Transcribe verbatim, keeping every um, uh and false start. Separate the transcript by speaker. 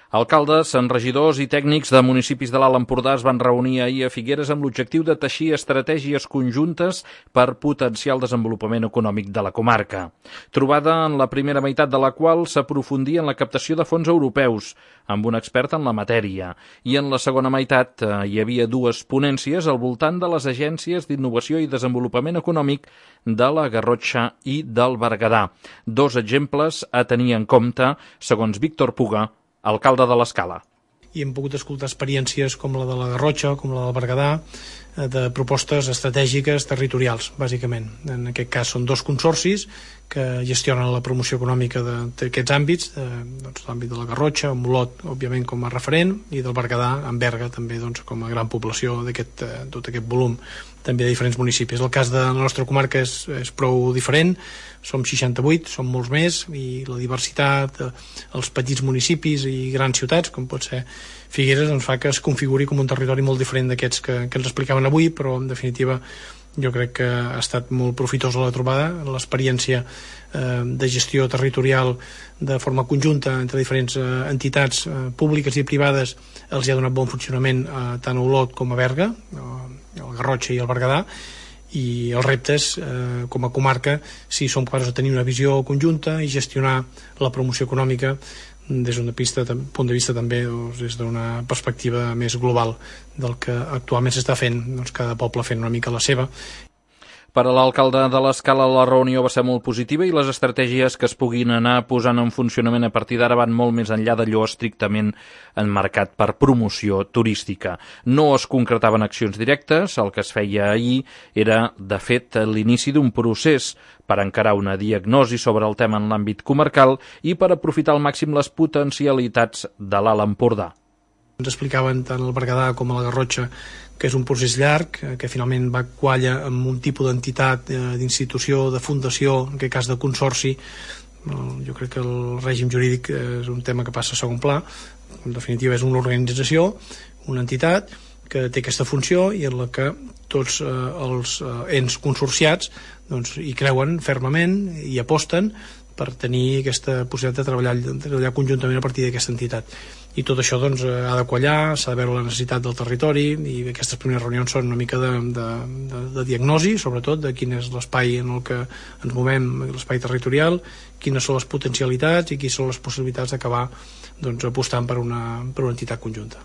Speaker 1: Alcaldes, regidors i tècnics de municipis de l'Alt Empordà es van reunir ahir a Figueres amb l'objectiu de teixir estratègies conjuntes per potenciar el desenvolupament econòmic de la comarca. Trobada en la primera meitat de la qual s'aprofundia en la captació de fons europeus, amb un expert en la matèria, i en la segona meitat eh, hi havia dues ponències al voltant de les agències d'innovació i desenvolupament econòmic de la Garrotxa i del Berguedà. Dos exemples a tenir en compte, segons Víctor Puga, alcalde de l'Escala.
Speaker 2: I hem pogut escoltar experiències com la de la Garrotxa, com la del Berguedà, de propostes estratègiques territorials, bàsicament. En aquest cas són dos consorcis que gestionen la promoció econòmica d'aquests àmbits, de, doncs, l'àmbit de la Garrotxa, amb Olot, òbviament, com a referent, i del Berguedà, amb Berga, també, doncs, com a gran població d'aquest tot aquest volum, també de diferents municipis. El cas de la nostra comarca és, és prou diferent, som seixanta-vuit, som molts més, i la diversitat, els petits municipis i grans ciutats, com pot ser Figueres, ens fa que es configuri com un territori molt diferent d'aquests que, que ens explicaven avui, però en definitiva jo crec que ha estat molt profitosa la trobada. L'experiència eh, de gestió territorial de forma conjunta entre diferents eh, entitats eh, públiques i privades els hi ha donat bon funcionament eh, tant a Olot com a Berga, eh, el Garrotxa i el Berguedà, i els reptes eh, com a comarca, si som capaços de tenir una visió conjunta i gestionar la promoció econòmica des d'un punt de vista també, doncs, des d'una perspectiva més global del que actualment s'està fent, doncs cada poble fent una mica la seva.
Speaker 1: Per a l'alcalde de l'Escala, la reunió va ser molt positiva i les estratègies que es puguin anar posant en funcionament a partir d'ara van molt més enllà d'allò estrictament enmarcat per promoció turística. No es concretaven accions directes, el que es feia ahir era, de fet, l'inici d'un procés per encarar una diagnosi sobre el tema en l'àmbit comarcal i per aprofitar al màxim les potencialitats de l'Alt Empordà.
Speaker 2: Ens explicaven tant el Berguedà com la Garrotxa que és un procés llarg, que finalment va quallar amb un tipus d'entitat, d'institució, de fundació, en aquest cas de consorci. Jo crec que el règim jurídic és un tema que passa a segon pla. En definitiva és una organització, una entitat que té aquesta funció i en la que tots eh, els eh, ens consorciats doncs, hi creuen fermament i aposten per tenir aquesta possibilitat de treballar, de treballar conjuntament a partir d'aquesta entitat. I tot això doncs, ha de quallar, s'ha de veure la necessitat del territori, i aquestes primeres reunions són una mica de, de, de, de diagnosi, sobretot de quin és l'espai en el que ens movem, l'espai territorial, quines són les potencialitats i quines són les possibilitats d'acabar doncs, apostant per una, per una entitat conjunta.